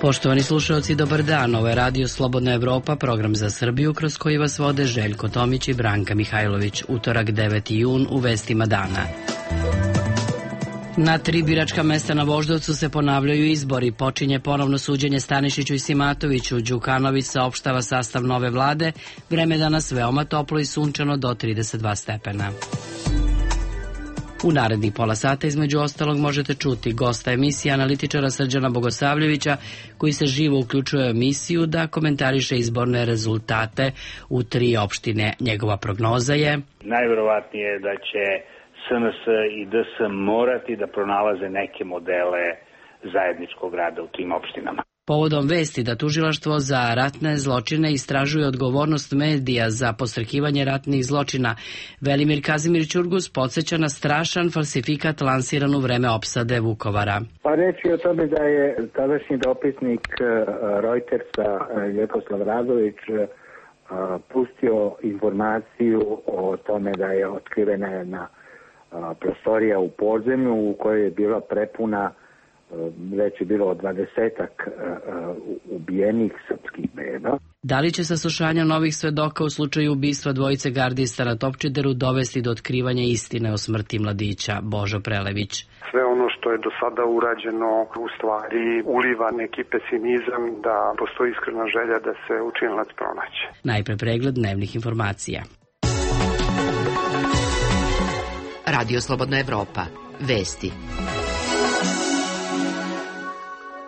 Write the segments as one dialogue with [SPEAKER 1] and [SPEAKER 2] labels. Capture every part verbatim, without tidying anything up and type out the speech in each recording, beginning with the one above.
[SPEAKER 1] Poštovani slušalci, dobar dan. Ovo je Radio Slobodna Evropa, program za Srbiju kroz koji vas vode Željko Tomić i Branka Mihajlović. Utorak deveti jun u vestima dana. Na tri biračka mesta na Voždovcu se ponavljaju izbori. Počinje ponovno suđenje Stanišiću i Simatoviću. Đukanović saopštava sastav nove vlade. Vreme danas veoma toplo i sunčano do trideset dva stepena. U narednih pola sata između ostalog možete čuti gosta emisije analitičara Srđana Bogosavljevića, koji se živo uključuje u emisiju da komentariše izborne rezultate u tri opštine. Njegova prognoza je:
[SPEAKER 2] najverovatnije je da će S N S i D S morati da pronalaze neke modele zajedničkog rada u tim opštinama.
[SPEAKER 1] Povodom vesti da tužilaštvo za ratne zločine istražuje odgovornost medija za podstrekivanje ratnih zločina, Velimir Kazimir Ćurgus podsjeća na strašan falsifikat lansiran u vreme opsade Vukovara.
[SPEAKER 3] Pa reći o tome da je tadašnji dopisnik Reutersa Ljeposlav Radović pustio informaciju o tome da je otkrivena jedna prostorija u podzemlju u kojoj je bila prepuna, već je bilo dvadesetak ubijenih srpskih beba.
[SPEAKER 1] Da li će saslušanja novih svedoka u slučaju ubistva dvojice gardista na Topčideru dovesti do otkrivanja istine o smrti mladića? Božo Prelević.
[SPEAKER 4] Sve ono što je do sada urađeno u stvari uliva neki pesimizam da postoji iskrena želja da se učinilac pronaće.
[SPEAKER 1] Najpre pregled dnevnih informacija.
[SPEAKER 5] Radio Slobodna Evropa. Vesti.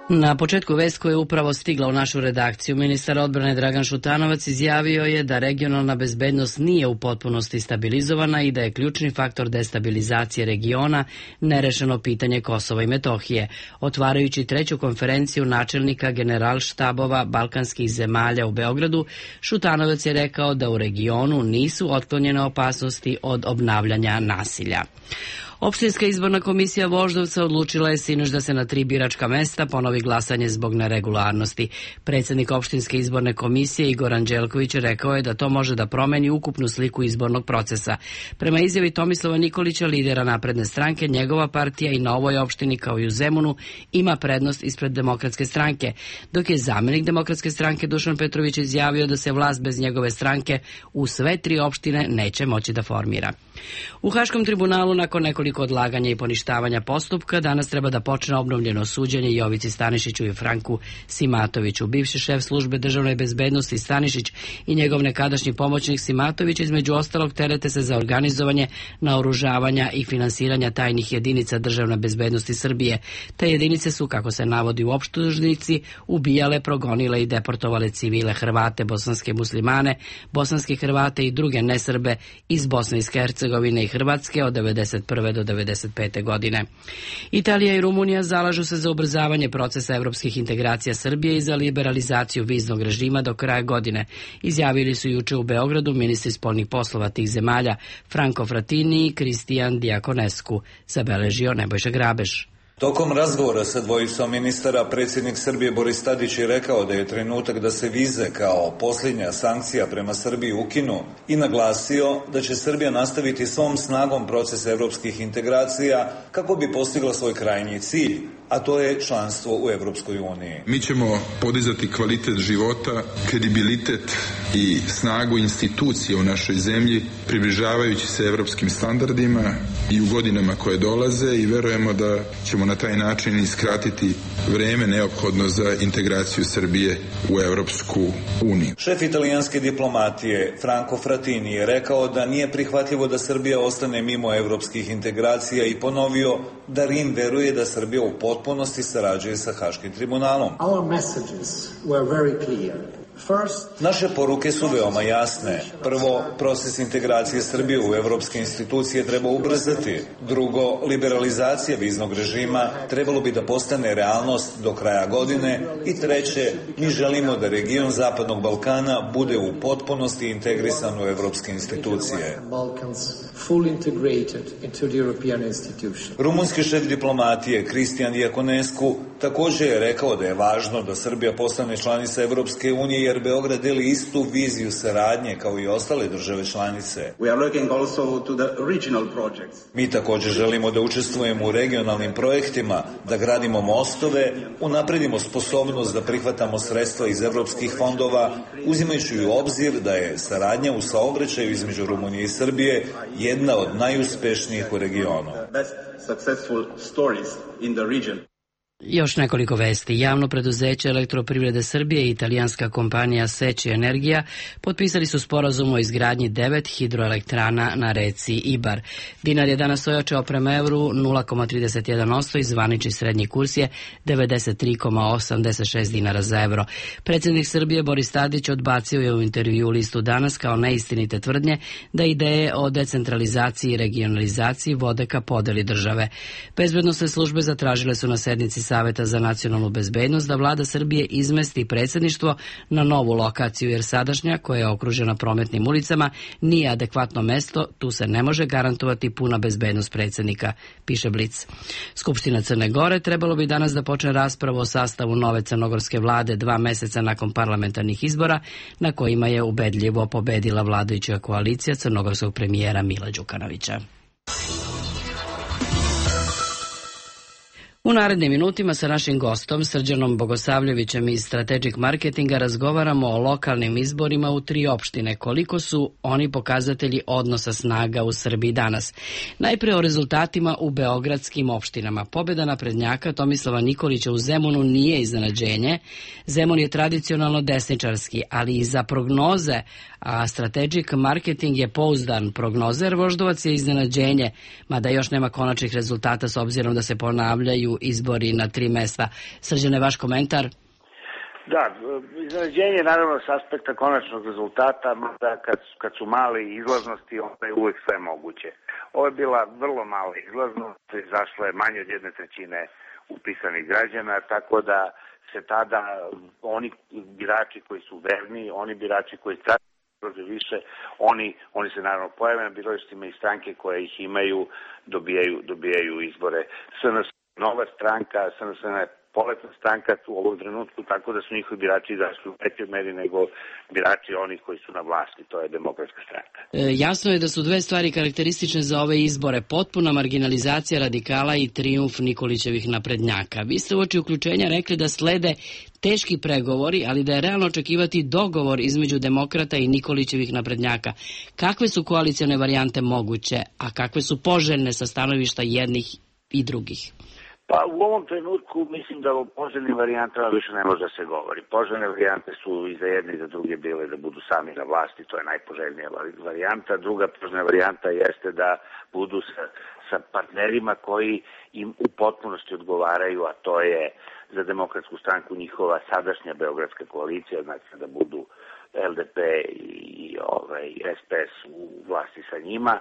[SPEAKER 1] Na početku vest koja je upravo stigla u našu redakciju, ministar odbrane Dragan Šutanovac izjavio je da regionalna bezbednost nije u potpunosti stabilizovana i da je ključni faktor destabilizacije regiona nerešeno pitanje Kosova i Metohije. Otvarajući treću konferenciju načelnika generalštabova balkanskih zemalja u Beogradu, Šutanovac je rekao da u regionu nisu otklonjene opasnosti od obnavljanja nasilja. Opštinska izborna komisija Voždovca odlučila je sinoć da se na tri biračka mesta ponovi glasanje zbog neregularnosti. Predsjednik opštinske izborne komisije Igor Anđelković rekao je da to može da promeni ukupnu sliku izbornog procesa. Prema izjavi Tomislava Nikolića, lidera Napredne stranke, njegova partija i na ovoj opštini kao i u Zemunu ima prednost ispred Demokratske stranke, dok je zamenik Demokratske stranke Dušan Petrović izjavio da se vlast bez njegove stranke u sve tri opštine neće moći da formira. U Haškom tribunalu nakon nekoliko odlaganja i poništavanja postupka danas treba da počne obnovljeno suđenje Jovici Stanišiću i Franku Simatoviću. Bivši šef službe državne bezbednosti Stanišić i njegov nekadašnji pomoćnik Simatović između ostalog terete se za organizovanje naoružavanja i finansiranja tajnih jedinica državne bezbednosti Srbije. Te jedinice su, kako se navodi u optužnici, ubijale, progonile i deportovale civile Hrvate, bosanske muslimane, bosanske Hrvate i druge nesrbe iz Bosne i Hercegovine i Hrvatske od devedeset prve do devedeset pete godine. Italija i Rumunija zalažu se za ubrzavanje procesa evropskih integracija Srbije i za liberalizaciju viznog režima do kraja godine. Izjavili su juče u Beogradu ministri spoljnih poslova tih zemalja Franco Frattini i Kristijan Diakonescu, zabeležio Nebojša Grabež.
[SPEAKER 6] Tokom razgovora sa dvojicom ministara, predsjednik Srbije Boris Tadić je rekao da je trenutak da se vize kao posljednja sankcija prema Srbiji ukinu i naglasio da će Srbija nastaviti svom snagom proces evropskih integracija kako bi postigla svoj krajnji cilj, a to je članstvo u Evropskoj uniji.
[SPEAKER 7] Mi ćemo podizati kvalitet života, kredibilitet i snagu institucije u našoj zemlji, približavajući se evropskim standardima i u godinama koje dolaze, i verujemo da ćemo na taj način iskratiti vreme neophodno za integraciju Srbije u Evropsku uniju.
[SPEAKER 6] Šef italijanske diplomatije Franco Frattini je rekao da nije prihvatljivo da Srbija ostane mimo evropskih integracija i ponovio da Rim veruje da Srbija u potpunosti sarađuje sa Haškim tribunalom.
[SPEAKER 8] Our messages were very clear.
[SPEAKER 6] Naše poruke su veoma jasne. Prvo, proces integracije Srbije u evropske institucije treba ubrzati. Drugo, liberalizacija viznog režima trebalo bi da postane realnost do kraja godine. I treće, mi želimo da region Zapadnog Balkana bude u potpunosti integrisan u evropske institucije. Rumunski šef diplomatije Kristijan Diakonescu također je rekao da je važno da Srbija postane članica Evropske unije jer Beograd deli istu viziju saradnje kao i ostale države članice.
[SPEAKER 9] We are looking also to the regional projects.
[SPEAKER 6] Mi također želimo da učestvujemo u regionalnim projektima, da gradimo mostove, unapredimo sposobnost da prihvatamo sredstva iz evropskih fondova, uzimajući u obzir da je saradnja u saobraćaju između Rumunije i Srbije jedna od najuspešnijih u regionu.
[SPEAKER 9] Successful stories in the region.
[SPEAKER 1] Još nekoliko vesti. Javno preduzeće Elektroprivrede Srbije i italijanska kompanija Seči Energija potpisali su sporazum o izgradnji devet hidroelektrana na reci Ibar. Dinar je danas ojačao prema evru nula zarez trideset jedan posto i zvanični srednji kurs je devedeset tri zarez osamdeset šest dinara za evro. Predsjednik Srbije Boris Tadić odbacio je u intervju listu Danas kao neistinite tvrdnje da ideje o decentralizaciji i regionalizaciji vode ka podeli države. Bezbednosne službe zatražile su na sednici Saveta za nacionalnu bezbednost da vlada Srbije izmesti predsjedništvo na novu lokaciju, jer sadašnja, koja je okružena prometnim ulicama, nije adekvatno mesto, tu se ne može garantovati puna bezbednost predsjednika, piše Blic. Skupština Crne Gore trebalo bi danas da počne raspravu o sastavu nove crnogorske vlade dva meseca nakon parlamentarnih izbora, na kojima je ubedljivo pobedila vladajuća koalicija crnogorskog premijera Mila Đukanovića. U narednim minutima sa našim gostom, Srđanom Bogosavljevićem iz Strategic Marketinga, razgovaramo o lokalnim izborima u tri opštine. Koliko su oni pokazatelji odnosa snaga u Srbiji danas? Najpre o rezultatima u beogradskim opštinama. Pobjeda naprednjaka Tomislava Nikolića u Zemunu nije iznenađenje. Zemun je tradicionalno desničarski, ali i za prognoze, a Strategic Marketing je pouzdan prognozer, Voždovac je iznenađenje, mada još nema konačnih rezultata s obzirom da se ponavljaju izbori na tri mesta. Srđane, vaš komentar?
[SPEAKER 2] Da, iznenađenje naravno s aspekta konačnog rezultata, da kad, kad su male izlaznosti, onda je uvek sve moguće. Ovo je bila vrlo mala izlaznost, izašla je manje od jedne trećine upisanih građana, tako da se tada oni birači koji su verni, oni birači koji više, oni, oni se naravno pojave na biralištima i stranke koje ih imaju dobijaju, dobijaju izbore. S N S nova stranka, S N S je poletna stranka u ovom trenutku, tako da su njihovi birači izašli u većoj meri nego birači onih koji su na vlasti, to je Demokratska stranka.
[SPEAKER 1] E, jasno je da su dve stvari karakteristične za ove izbore, potpuna marginalizacija radikala i trijumf Nikolićevih naprednjaka. Vi ste uoči uključenja rekli da slede teški pregovori, ali da je realno očekivati dogovor između demokrata i Nikolićevih naprednjaka. Kakve su koalicione varijante moguće, a kakve su poželjne sa stanovišta jednih i drugih?
[SPEAKER 2] Pa u ovom trenutku mislim da o poželjnim varijantama više ne može da se govori. Poželjne varijante su i za jedne i za druge bile da budu sami na vlasti, to je najpoželjnija varijanta. Druga poželjna varijanta jeste da budu sa, sa partnerima koji im u potpunosti odgovaraju, a to je za Demokratsku stranku njihova sadašnja beogradska koalicija, znači da budu L D P i ovaj, S P S u vlasti sa njima,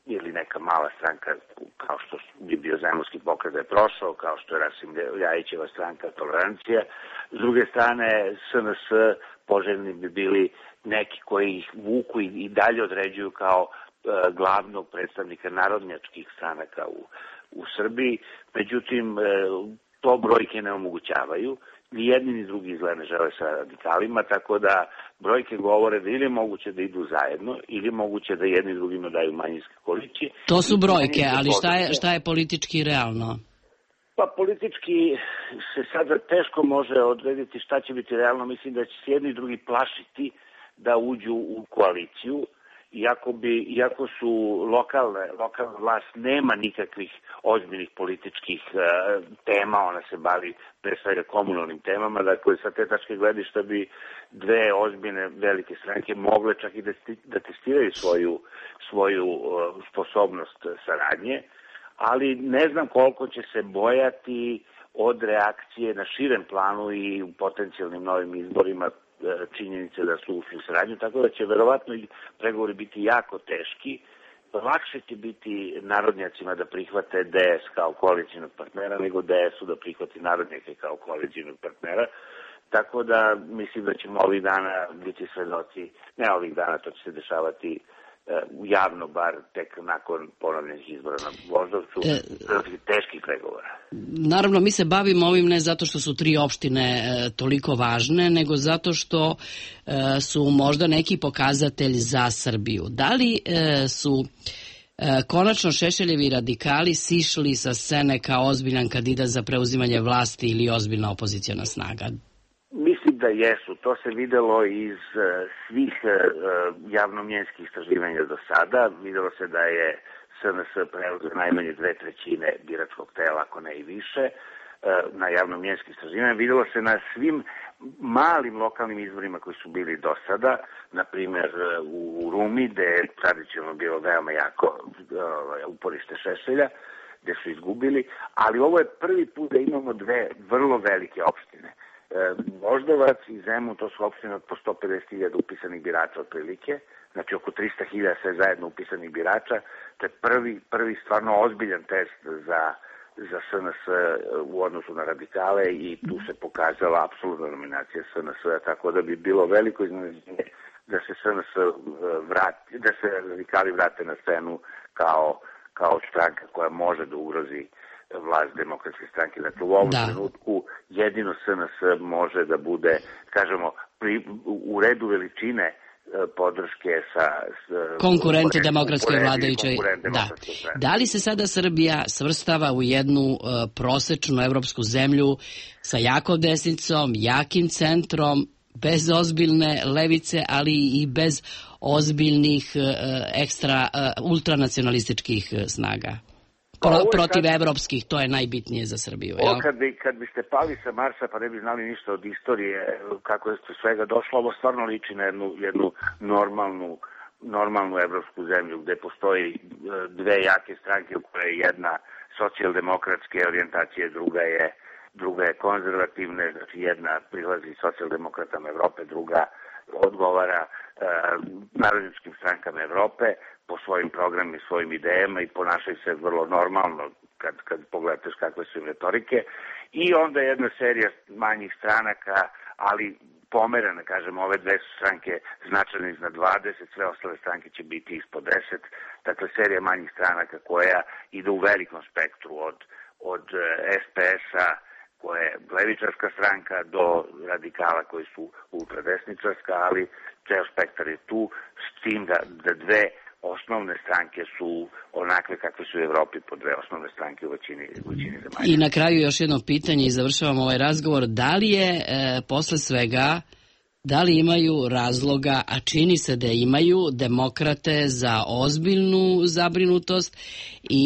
[SPEAKER 2] ili neka mala stranka kao što bi bio Zemunski pokret da je prošao, kao što je Rasim Ljajićeva stranka Tolerancija. S druge strane, S N S poželjni bi bili neki koji ih vuku i, i dalje određuju kao e, glavnog predstavnika narodnjačkih stranaka u, u Srbiji. Međutim, e, to brojke ne omogućavaju. Ni jedni ni drugi izgleda ne žele sa radikalima, tako da brojke govore da ili je moguće da idu zajedno, ili je moguće da jedni drugima daju manjinske koalicije.
[SPEAKER 1] To su brojke, ali šta je, šta je politički realno?
[SPEAKER 2] Pa politički se sada teško može odrediti šta će biti realno. Mislim da će se jedni i drugi plašiti da uđu u koaliciju. Iako, bi, iako su lokalne, lokalna vlast nema nikakvih ozbiljnih političkih uh, tema, ona se bavi pre svega komunalnim temama, dakle sa te tačke gledišta bi dve ozbiljne velike stranke mogle čak i da, da testiraju svoju, svoju uh, sposobnost saradnje, ali ne znam koliko će se bojati od reakcije na širem planu i u potencijalnim novim izborima činjenice da su ušli u saradnju, tako da će verovatno i pregovori biti jako teški. Lakše će biti narodnjacima da prihvate D S kao koalicijnog partnera nego D S-u da prihvati narodnjake kao koalicijnog partnera. Tako da mislim da ćemo ovih dana biti svedoci, ne ovih dana, to će se dešavati javno bar tek nakon ponovljenih izbora na Voždovcu, e, teških pregovora.
[SPEAKER 1] Naravno, mi se bavimo ovim ne zato što su tri opštine e, toliko važne, nego zato što e, su možda neki pokazatelj za Srbiju. Da li e, su e, konačno Šešeljevi radikali sišli sa scene kao ozbiljan kandidat za preuzimanje vlasti ili ozbiljna opoziciona snaga?
[SPEAKER 2] Mislim da jesu. To se videlo iz uh, svih uh, javnomjenskih istraživanja do sada. Videlo se da je S N S preuzeo najmanje dve trećine biračkog tela, ako ne i više, uh, na javnomjenskim istraživanjima. Videlo se na svim malim lokalnim izborima koji su bili do sada, na primjer u Rumi, gde je tradicionalno bilo veoma jako uh, uporište Šešelja, gde su izgubili, ali ovo je prvi put da imamo dve vrlo velike opštine. Voždovac i Zemun, to su opštine od po sto pedeset hiljada upisanih birača otprilike, znači oko trista hiljada sve zajedno upisanih birača. To je prvi, prvi stvarno ozbiljan test za, za S N S u odnosu na radikale i tu se pokazala apsolutna dominacija S N S-a, tako da bi bilo veliko iznenađenje da se S N S vrati, da se radikali vrate na scenu kao, kao stranka koja može da ugrozi vlast Demokratske stranke. Dakle, u ovom da. trenutku jedino S N S može da bude, kažemo, pri, u redu veličine podrške sa
[SPEAKER 1] konkurente demokratskoj vladajućoj. Da. Da li se sada Srbija svrstava u jednu uh, prosečnu evropsku zemlju sa jakom desnicom, jakim centrom, bez ozbiljne levice, ali i bez ozbiljnih uh, ekstra uh, ultranacionalističkih uh, snaga? Pro, protiv kad, evropskih, to je najbitnije za Srbiju.
[SPEAKER 2] Ovo kad, bi, kad biste pali sa Marsa pa ne bi znali ništa od istorije, kako je svega došlo, ovo stvarno liči na jednu, jednu normalnu, normalnu evropsku zemlju gde postoji dve jake stranke u kojoj je jedna socijaldemokratske orijentacije, druga je, druga je konzervativne, znači jedna prilazi socijaldemokratama Evrope, druga odgovara e, narodničkim strankama Evrope po svojim programima i svojim idejama i ponašaju se vrlo normalno kad, kad pogledate kakve su im retorike. I onda jedna serija manjih stranaka, ali pomerana, kažem, ove dve su stranke značajno iznad dvadeset, sve ostale stranke će biti ispod deset. Dakle, serija manjih stranaka koja ide u velikom spektru od, od S P S-a, koja je levičarska stranka, do radikala koji su ultradesničarska, ali ceo spektar je tu, s tim da, da dve osnovne stranke su onakve kakve su u Evropi po dve osnovne stranke u većini, u većini zemalja.
[SPEAKER 1] I na kraju još jedno pitanje i završavamo ovaj razgovor. Da li je e, posle svega, da li imaju razloga, a čini se da imaju, demokrate za ozbiljnu zabrinutost i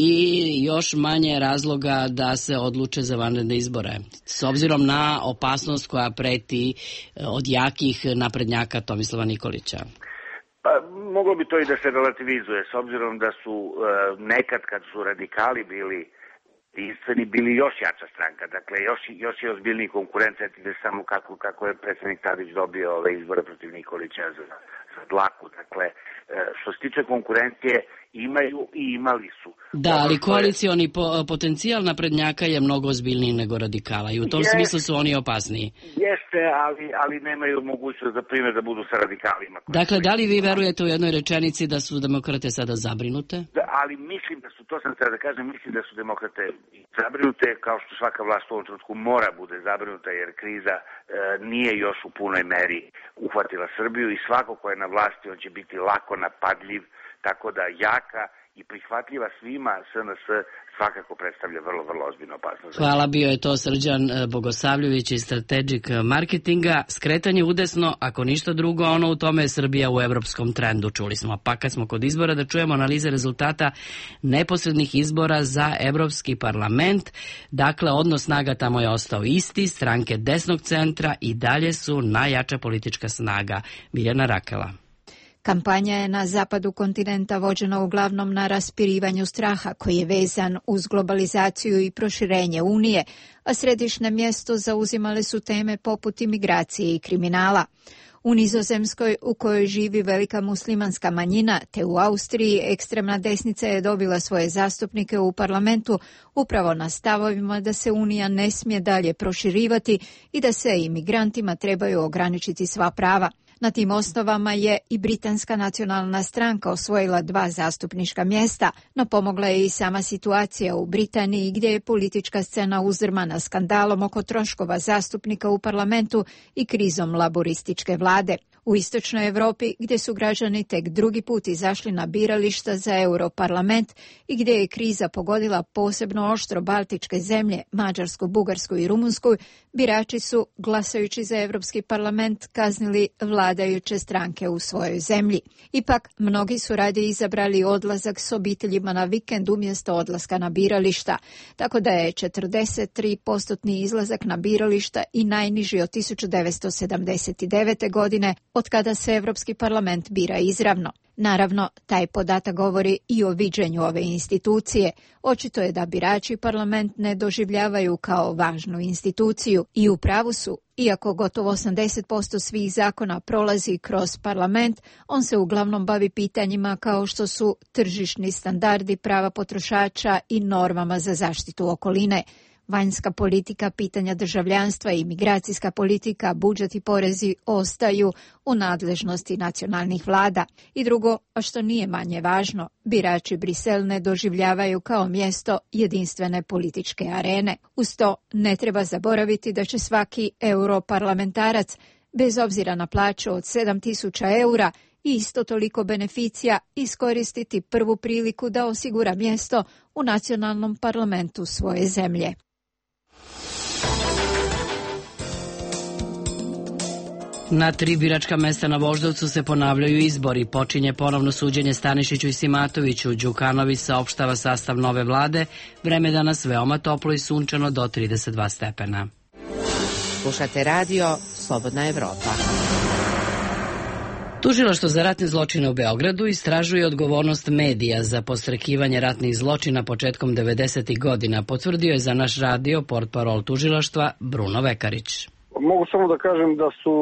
[SPEAKER 1] još manje razloga da se odluče za vanredne izbore? S obzirom na opasnost koja preti od jakih naprednjaka Tomislava Nikolića.
[SPEAKER 2] Pa, moglo bi to i da se relativizuje, s obzirom da su e, nekad kad su radikali bili jedinstveni, bili još jača stranka, dakle još, još je ozbiljniji konkurent, setite samo kako, kako je predsednik Tadić dobio ove izbore protiv Nikolića za, za dlaku, dakle e, što se tiče konkurencije imaju i imali su.
[SPEAKER 1] Da, ali koalicioni po, potencijal naprednjaka je mnogo ozbiljniji nego radikala i u tom je, smislu su oni opasniji.
[SPEAKER 2] Jeste, ali, ali nemaju mogućnost za primjer da budu sa radikalima.
[SPEAKER 1] Dakle, da li vi verujete u jednoj rečenici da su demokrate sada zabrinute?
[SPEAKER 2] Da, ali mislim da su, to sam treba da kažem, mislim da su demokrate zabrinute, kao što svaka vlast u ovom trenutku mora bude zabrinuta, jer kriza e, nije još u punoj meri uhvatila Srbiju i svako ko je na vlasti, on će biti lako napadljiv, tako da jaka i prihvatljiva svima S N S svakako predstavlja vrlo, vrlo ozbiljnu opasnost.
[SPEAKER 1] Hvala, bio je to Srđan Bogosavljević iz Strategic Marketinga. Skretanje udesno, ako ništa drugo, ono u tome je Srbija u evropskom trendu, čuli smo. Pa kad smo kod izbora, da čujemo analize rezultata neposrednih izbora za Evropski parlament. Dakle, odnos snaga tamo je ostao isti, stranke desnog centra i dalje su najjača politička snaga. Biljana Rakela.
[SPEAKER 10] Kampanja je na zapadu kontinenta vođena uglavnom na raspirivanju straha koji je vezan uz globalizaciju i proširenje Unije, a središnje mjesto zauzimale su teme poput imigracije i kriminala. U Nizozemskoj, u kojoj živi velika muslimanska manjina, te u Austriji, ekstremna desnica je dobila svoje zastupnike u parlamentu upravo na stavovima da se Unija ne smije dalje proširivati i da se imigrantima trebaju ograničiti sva prava. Na tim osnovama je i Britanska nacionalna stranka osvojila dva zastupnička mjesta, no pomogla je i sama situacija u Britaniji gdje je politička scena uzdrmana skandalom oko troškova zastupnika u parlamentu i krizom laborističke vlade. U istočnoj Europi, gdje su građani tek drugi put izašli na birališta za Europarlament i gdje je kriza pogodila posebno oštro baltičke zemlje, Mađarsku, Bugarsku i Rumunsku, birači su, glasajući za Europski parlament, kaznili vladajuće stranke u svojoj zemlji. Ipak, mnogi su radije izabrali odlazak s obiteljima na vikend umjesto odlaska na birališta, tako da je četrdeset tri posto izlazak na birališta i najniži od tisuću devetsto sedamdeset devete. godine, od kada se Europski parlament bira izravno. Naravno, taj podatak govori i o viđenju ove institucije. Očito je da birači parlament ne doživljavaju kao važnu instituciju i u pravu su. Iako gotovo osamdeset posto svih zakona prolazi kroz parlament, on se uglavnom bavi pitanjima kao što su tržišni standardi, prava potrošača i normama za zaštitu okoline. Vanjska politika, pitanja državljanstva i migracijska politika, budžet i porezi ostaju u nadležnosti nacionalnih vlada. I drugo, a što nije manje važno, birači Brisel ne doživljavaju kao mjesto jedinstvene političke arene. Uz to ne treba zaboraviti da će svaki europarlamentarac, bez obzira na plaću od sedam tisuća eura i isto toliko beneficija, iskoristiti prvu priliku da osigura mjesto u nacionalnom parlamentu svoje zemlje.
[SPEAKER 1] Na tri biračka mesta na Voždovcu se ponavljaju izbori. Počinje ponovno suđenje Stanišiću i Simatoviću. Đukanović saopštava sastav nove vlade. Vreme danas veoma toplo i sunčano do trideset dva stepena.
[SPEAKER 5] Slušate radio Slobodna Evropa.
[SPEAKER 1] Tužilaštvo za ratne zločine u Beogradu istražuje odgovornost medija za podstrekivanje ratnih zločina početkom devedesetih godina, potvrdio je za naš radio portparol tužilaštva Bruno Vekarić.
[SPEAKER 11] Mogu samo da kažem da su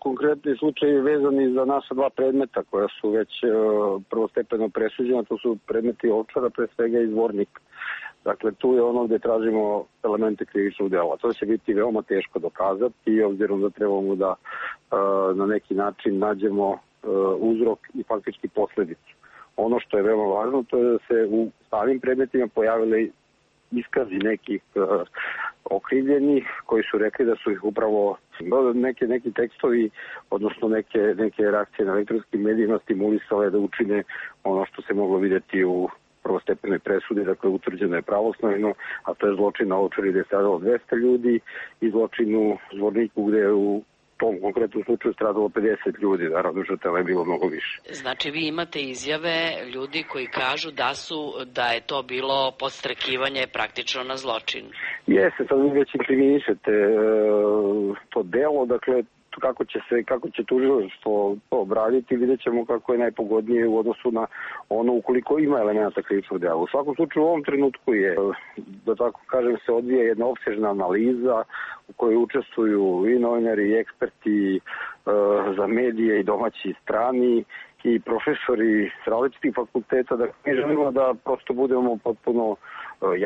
[SPEAKER 11] konkretni slučajevi vezani za naša dva predmeta koja su već prvostepeno presuđena. To su predmeti Ovčara, pre svega i Zvornik. Dakle, tu je ono gde tražimo elemente krivičnog dela. To će biti veoma teško dokazati i obzirom da trebamo da na neki način nađemo uzrok i faktički posledicu. Ono što je veoma važno to je da se u samim predmetima pojavile iskazi nekih okrivljenih koji su rekli da su ih upravo neke, neki tekstovi, odnosno neke, neke reakcije na elektronskim medijima stimulisale da učine ono što se moglo vidjeti u prvostepenoj presudi, dakle utvrđeno je pravosnažno, a to je zločin na Ovčari gde je stradalo dvesta ljudi i zločin u Zvorniku gde je u tom konkretnom slučaju stradalo pedeset ljudi, naravno žrtava je bilo mnogo više.
[SPEAKER 1] Znači vi imate izjave ljudi koji kažu da su da je to bilo podstrekivanje praktično na zločin.
[SPEAKER 11] Jeste, sad vi već inkriminišete e, to delo, dakle kako će se kako će tužilaštvo to obraditi, vidjet ćemo kako je najpogodnije u odnosu na ono ukoliko ima elemenata krivičnog dela. U svakom slučaju u ovom trenutku je, da tako kažem, se odvija jedna opsežna analiza u kojoj učestvuju i novinari i eksperti e, za medije i domaći i strani i profesori s različitih fakulteta. Da mi želimo da prosto budemo potpuno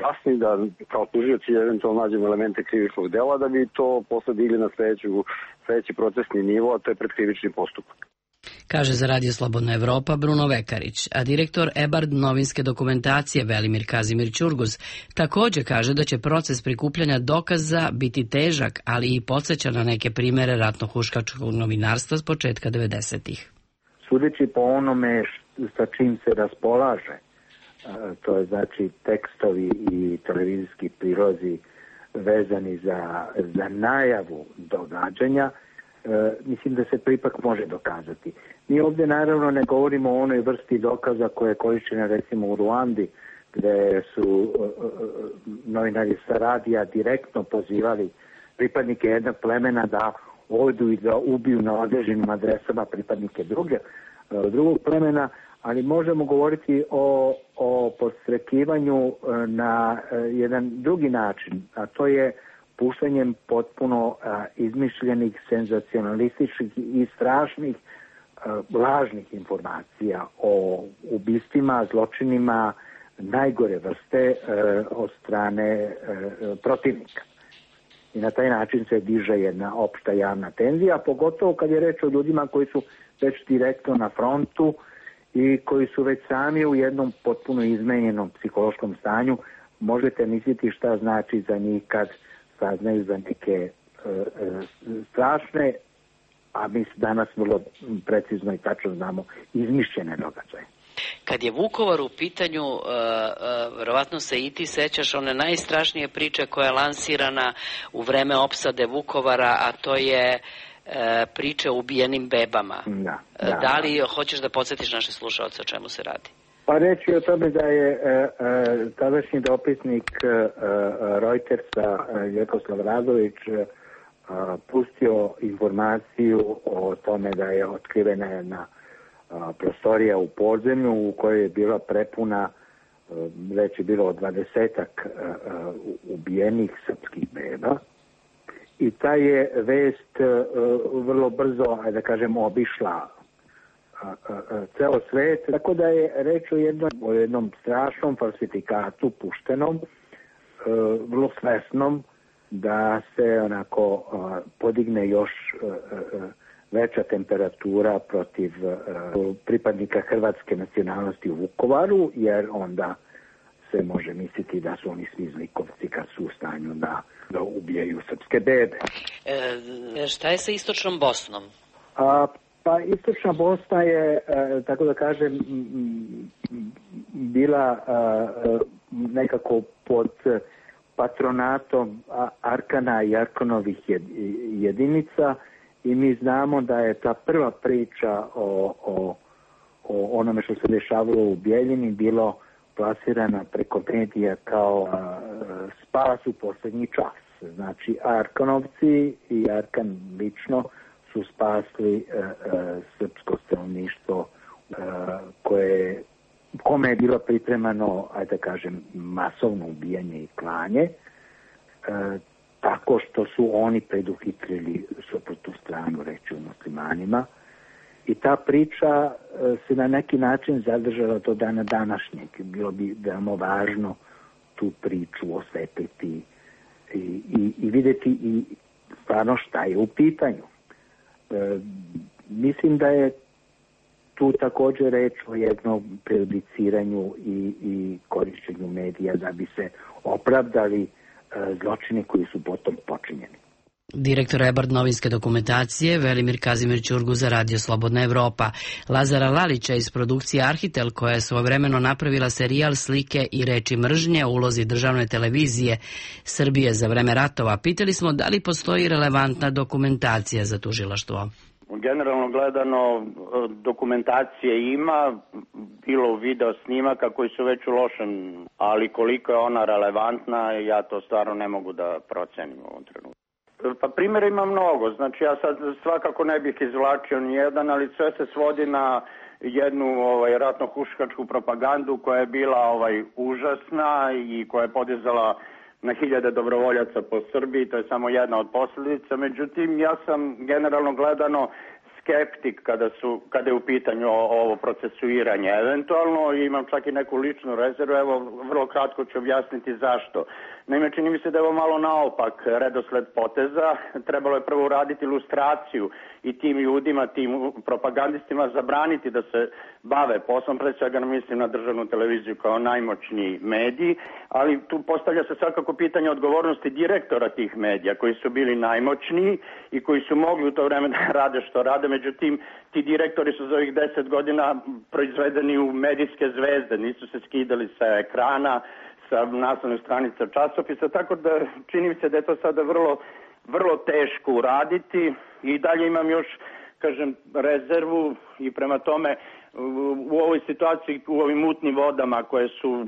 [SPEAKER 11] jasni, da kao tužioci eventualno nađemo elemente krivičnog dela da bi to posle digli na sledeću, sledeći procesni nivo, a to je predkrivični postupak.
[SPEAKER 1] Kaže za Radio Slobodna Evropa Bruno Vekarić, a direktor EBARD novinske dokumentacije Velimir Kazimir Ćurguz također kaže da će proces prikupljanja dokaza biti težak, ali i podsjeća na neke primere ratno-huškačkog novinarstva s početka devedesetih.
[SPEAKER 3] Sudeći po onome sa čim se raspolaže, to je znači tekstovi i televizijski prilozi vezani za, za najavu događanja, e, mislim da se to ipak može dokazati. Mi ovdje naravno ne govorimo o onoj vrsti dokaza koje je korišćena recimo u Ruandi, gde su e, novinari sa radija direktno pozivali pripadnike jednog plemena da odu i da ubiju na određenim adresama pripadnike druge, e, drugog plemena, ali možemo govoriti o, o podstrekivanju na jedan drugi način, a to je puštanjem potpuno a, izmišljenih, senzacionalističkih i strašnih a, lažnih informacija o ubistvima, zločinima najgore vrste a, od strane a, protivnika. i na taj način se diže jedna opšta javna tenzija, pogotovo kad je reč o ljudima koji su već direktno na frontu i koji su već sami u jednom potpuno izmenjenom psihološkom stanju. Možete misliti šta znači za njih kad saznaju za neke e, e, strašne, a mi danas vrlo precizno i tačno znamo, izmišljene događaje.
[SPEAKER 1] Kad je Vukovar u pitanju, uh, uh, verovatno se i ti sećaš one najstrašnije priče koja je lansirana u vreme opsade Vukovara, a to je uh, priče o ubijenim bebama. Da, da, da li hoćeš da podsjetiš naše slušaoce o čemu se radi?
[SPEAKER 3] Pa reći o tome da je uh, uh, tadašnji dopisnik uh, Reutersa uh, Vjekoslav Radović uh, pustio informaciju o tome da je otkrivena jedna prostorija u podzemlju u kojoj je bila prepuna, već je bilo dvadesetak ubijenih srpskih beba, i ta je vest vrlo brzo, ajde da kažem, obišla ceo svet, tako da je reč o jednom, o jednom strašnom falsifikatu puštenom, vrlo svesnom, da se onako podigne još veća temperatura protiv uh, pripadnika hrvatske nacionalnosti u Vukovaru, jer onda se može misliti da su oni svi zlikovci kad su u stanju da, da ubijaju srpske bebe.
[SPEAKER 1] E, šta je sa Istočnom Bosnom?
[SPEAKER 3] A, pa Istočna Bosna je, a, tako da kažem, bila a, nekako pod patronatom Arkana i Arkanovih jedinica, i mi znamo da je ta prva priča o, o, o onome što se dešavalo u Bijeljini bilo plasirana preko medija kao a, spas u posljednji čas. Znači, Arkanovci i Arkan lično su spasli a, a, srpsko stanovništvo a, koje, kome je bilo pripremano, ajde da kažem, masovno ubijanje i klanje, a, tako što su oni preduhitrili suprotnu stranu, reći u muslimanima. I ta priča se na neki način zadržala do dana današnjeg. Bilo bi veoma važno tu priču osvetliti i, i, i vidjeti i stvarno šta je u pitanju. E, mislim da je tu također reč o jednom prejudiciranju i, i korišćenju medija da bi se opravdali zločini koji su potom počinjeni.
[SPEAKER 1] Direktor Ebard novinske dokumentacije Velimir Kazimir Ćurgu za Radio Slobodna Evropa. Lazara Lalića iz produkcije Arhitel, koja je svojevremeno napravila serijal Slike i reči mržnje o ulozi državne televizije Srbije za vreme ratova, pitali smo da li postoji relevantna dokumentacija za tužilaštvo.
[SPEAKER 12] Generalno gledano, dokumentacije ima, bilo video snimaka koji su već u lošem, ali koliko je ona relevantna, ja to stvarno ne mogu da procenim u ovom trenutku. Pa primjera ima mnogo, znači ja sad svakako ne bih izvlačio nijedan, ali sve se svodi na jednu ovaj, ratno-huškačku propagandu koja je bila ovaj, užasna i koja je podizala na hiljade dobrovoljaca po Srbiji, to je samo jedna od posljedica. Međutim, ja sam generalno gledano skeptik kada, su, kada je u pitanju ovo procesuiranje. Eventualno imam čak i neku ličnu rezervu, evo vrlo kratko ću objasniti zašto. Naime, čini mi se da je ovo malo naopak redosled poteza. Trebalo je prvo uraditi ilustraciju i tim ljudima, tim propagandistima zabraniti da se bave poslom, pre svega mislim na državnu televiziju kao najmoćniji mediji, ali tu postavlja se svakako pitanje odgovornosti direktora tih medija koji su bili najmoćniji i koji su mogli u to vreme da rade što rade, međutim ti direktori su za ovih deset godina proizvedeni u medijske zvezde, nisu se skidali sa ekrana, sa naslovnih stranica časopisa, tako da čini mi se da je to sada vrlo, vrlo teško uraditi i dalje imam još, kažem, rezervu i prema tome u ovoj situaciji, u ovim mutnim vodama koje su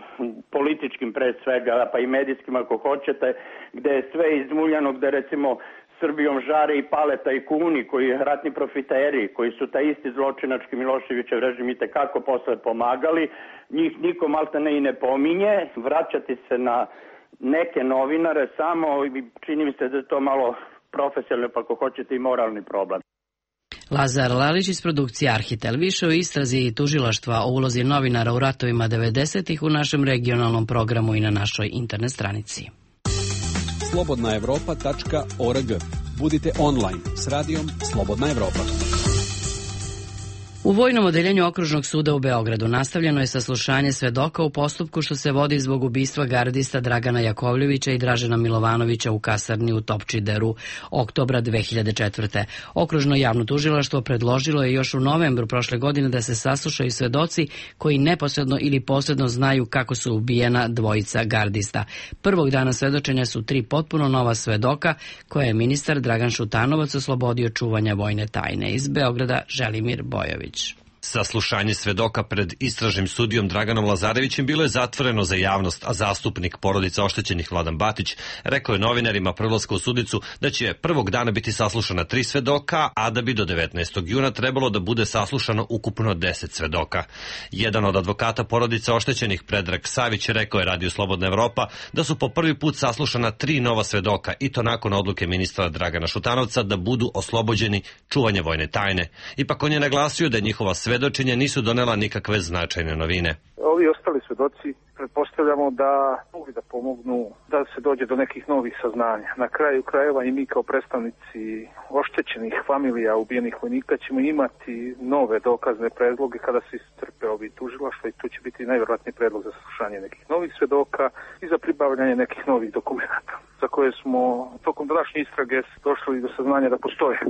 [SPEAKER 12] političkim pre svega, pa i medijskim ako hoćete, gde je sve izmuljano, gde recimo Srbijom žare i pale tajkuni, koji ratni profiteri, koji su taj isti zločinački Miloševićev režim i tekako posle pomagali, njih niko maltene i ne pominje, vraćati se na neke novinare samo, čini mi se da je to malo profesionalno, pa ako hoćete i moralni problem.
[SPEAKER 1] Lazar Lalić iz produkcije Arhitel. Više o istrazi i tužilaštva o ulozi novinara u ratovima devedesetih u našem regionalnom programu i na našoj internet stranici.
[SPEAKER 13] slobodna evropa tačka org. Budite online s radijom Slobodna Evropa.
[SPEAKER 1] U Vojnom odeljenju Okružnog suda u Beogradu nastavljeno je saslušanje svedoka u postupku što se vodi zbog ubistva gardista Dragana Jakovljevića i Dražena Milovanovića u kasarni u Topčideru oktobra dve hiljade četvrte. Okružno javno tužilaštvo predložilo je još u novembru prošle godine da se saslušaju svedoci koji neposredno ili posredno znaju kako su ubijena dvojica gardista. Prvog dana svedočenja su tri potpuno nova svedoka koje je ministar Dragan Šutanovac oslobodio čuvanja vojne tajne. Iz Beograda Želimir Bojović.
[SPEAKER 14] Saslušanje svedoka pred istražnim sudijom Draganom Lazarevićem bilo je zatvoreno za javnost, a zastupnik porodice oštećenih Vladan Batić rekao je novinarima prelaska u sudicu da će prvog dana biti saslušana tri svedoka, a da bi do devetnaestog juna trebalo da bude saslušano ukupno deset svedoka. Jedan od advokata porodice oštećenih, Predrag Savić, rekao je Radio Slobodna Evropa da su po prvi put saslušana tri nova svedoka i to nakon odluke ministra Dragana Šutanovca da budu oslobođeni čuvanja vojne tajne. Ipak on je naglasio da je njihova svedočenja nisu donela nikakve značajne novine.
[SPEAKER 15] Ovi ostali svedoci pretpostavljamo da mogu da pomognu da se dođe do nekih novih saznanja. Na kraju krajeva i mi kao predstavnici oštećenih familija ubijenih vojnika ćemo imati nove dokazne predloge kada se iscrpe ovi tužilaštva i tu će biti najverovatniji predlog za saslušanje nekih novih svedoka i za pribavljanje nekih novih dokumenata za koje smo tokom današnje istrage došli do saznanja da postoje.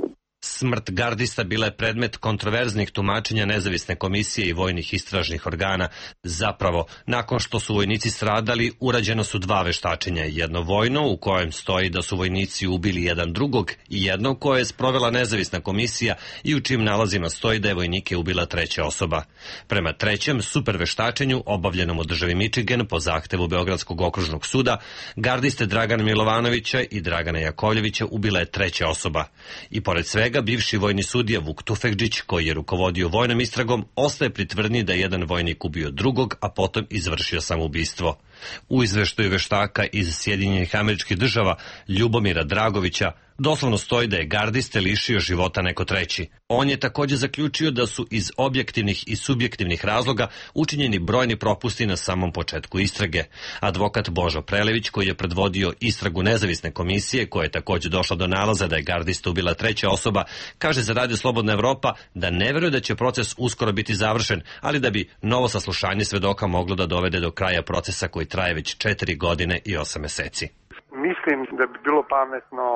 [SPEAKER 14] Smrt gardista bila je predmet kontroverznih tumačenja nezavisne komisije i vojnih istražnih organa. Zapravo, nakon što su vojnici stradali, urađeno su dva veštačenja. Jedno vojno, u kojem stoji da su vojnici ubili jedan drugog, i jedno koje je sprovela nezavisna komisija i u čijim nalazima stoji da je vojnike ubila treća osoba. Prema trećem super veštačenju, obavljenom u državi Michigan po zahtevu Beogradskog okružnog suda, gardiste Dragana Milovanovića i Dragana Jakovljevića ubila je treća osoba. I pored svega, bivši vojni sudija Vuk Tufekđić, koji je rukovodio vojnom istragom, ostaje pri tvrdnji da je jedan vojnik ubio drugog, a potom izvršio samoubistvo. U izveštaju veštaka iz Sjedinjenih Američkih Država Ljubomira Dragovića doslovno stoji da je gardiste lišio života neko treći. On je također zaključio da su iz objektivnih i subjektivnih razloga učinjeni brojni propusti na samom početku istrage. Advokat Božo Prelević, koji je predvodio istragu nezavisne komisije, koja je također došla do nalaza da je gardista ubila treća osoba, kaže za Radio Slobodna Evropa da ne veruje da će proces uskoro biti završen, ali da bi novo saslušanje svedoka moglo da dovede do kraja procesa koji traje već četiri godine i osam meseci.
[SPEAKER 4] Mislim da bi bilo pametno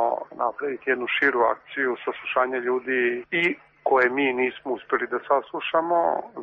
[SPEAKER 4] napraviti jednu širu akciju saslušanja ljudi i koje mi nismo uspeli da saslušamo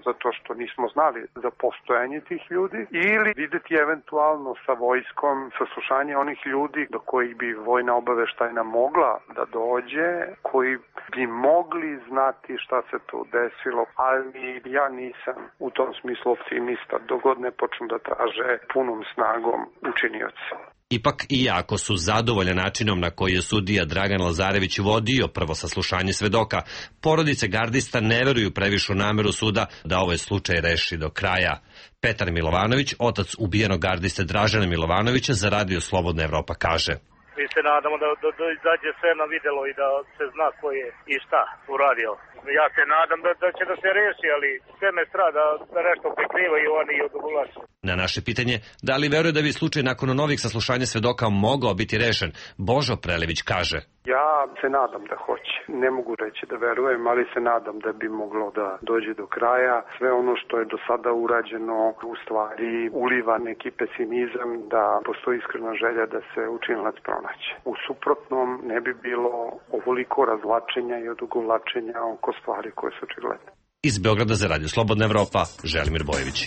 [SPEAKER 4] zato što nismo znali za postojanje tih ljudi, ili videti eventualno sa vojskom saslušanje onih ljudi do kojih bi vojna obaveštajna mogla da dođe, koji bi mogli znati šta se tu desilo, ali ja nisam u tom smislu optimista dok god ne počnu da traže punom snagom učinioca.
[SPEAKER 14] Ipak, iako su zadovoljni načinom na koji je sudija Dragan Lazarević vodio prvo saslušanje svedoka, porodice gardista ne veruju previše u nameru suda da ovaj slučaj reši do kraja. Petar Milovanović, otac ubijenog gardiste Dražena Milovanovića, za Radio Slobodna Evropa kaže:
[SPEAKER 16] Mi se nadamo da, da, da izađe sve na videlo i da se zna ko je i šta uradio. Ja se nadam da, da će da se reši, ali sve me strada da nešto prikrivaju oni i odugovlače.
[SPEAKER 14] Na naše pitanje, da li veruje da bi slučaj nakon novih saslušanja svedoka mogao biti rešen, Božo Prelević kaže:
[SPEAKER 4] Ja se nadam da hoće. Ne mogu reći da verujem, ali se nadam da bi moglo da dođe do kraja. Sve ono što je do sada urađeno u stvari uliva neki pesimizam da postoji iskrena želja da se učinilac pronaće. U suprotnom ne bi bilo ovoliko razvlačenja i odugovlačenja oko stvari koje su očigledne.
[SPEAKER 14] Iz Beograda za Radio Slobodna Evropa, Želimir Bojević.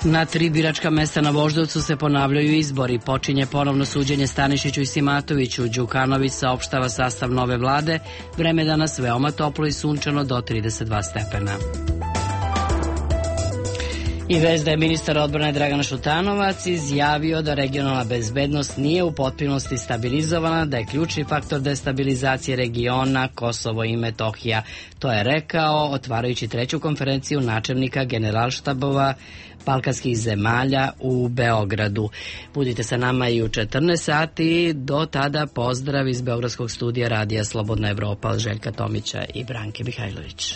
[SPEAKER 1] Na tri biračka mesta na Voždovcu se ponavljaju izbori. Počinje ponovno suđenje Stanišiću i Simatoviću. Đukanović saopštava sastav nove vlade. Vreme danas veoma toplo i sunčano do trideset dva stepena. I vest da je ministar odbrane Dragan Šutanovac izjavio da regionalna bezbednost nije u potpunosti stabilizovana, da je ključni faktor destabilizacije regiona Kosovo i Metohija. To je rekao otvarajući treću konferenciju načelnika generalštabova balkanskih zemalja u Beogradu. Budite sa nama i u četrnaest sati. Do tada pozdrav iz Beogradskog studija Radija Slobodna Evropa od Željka Tomića i Branke Mihajlović.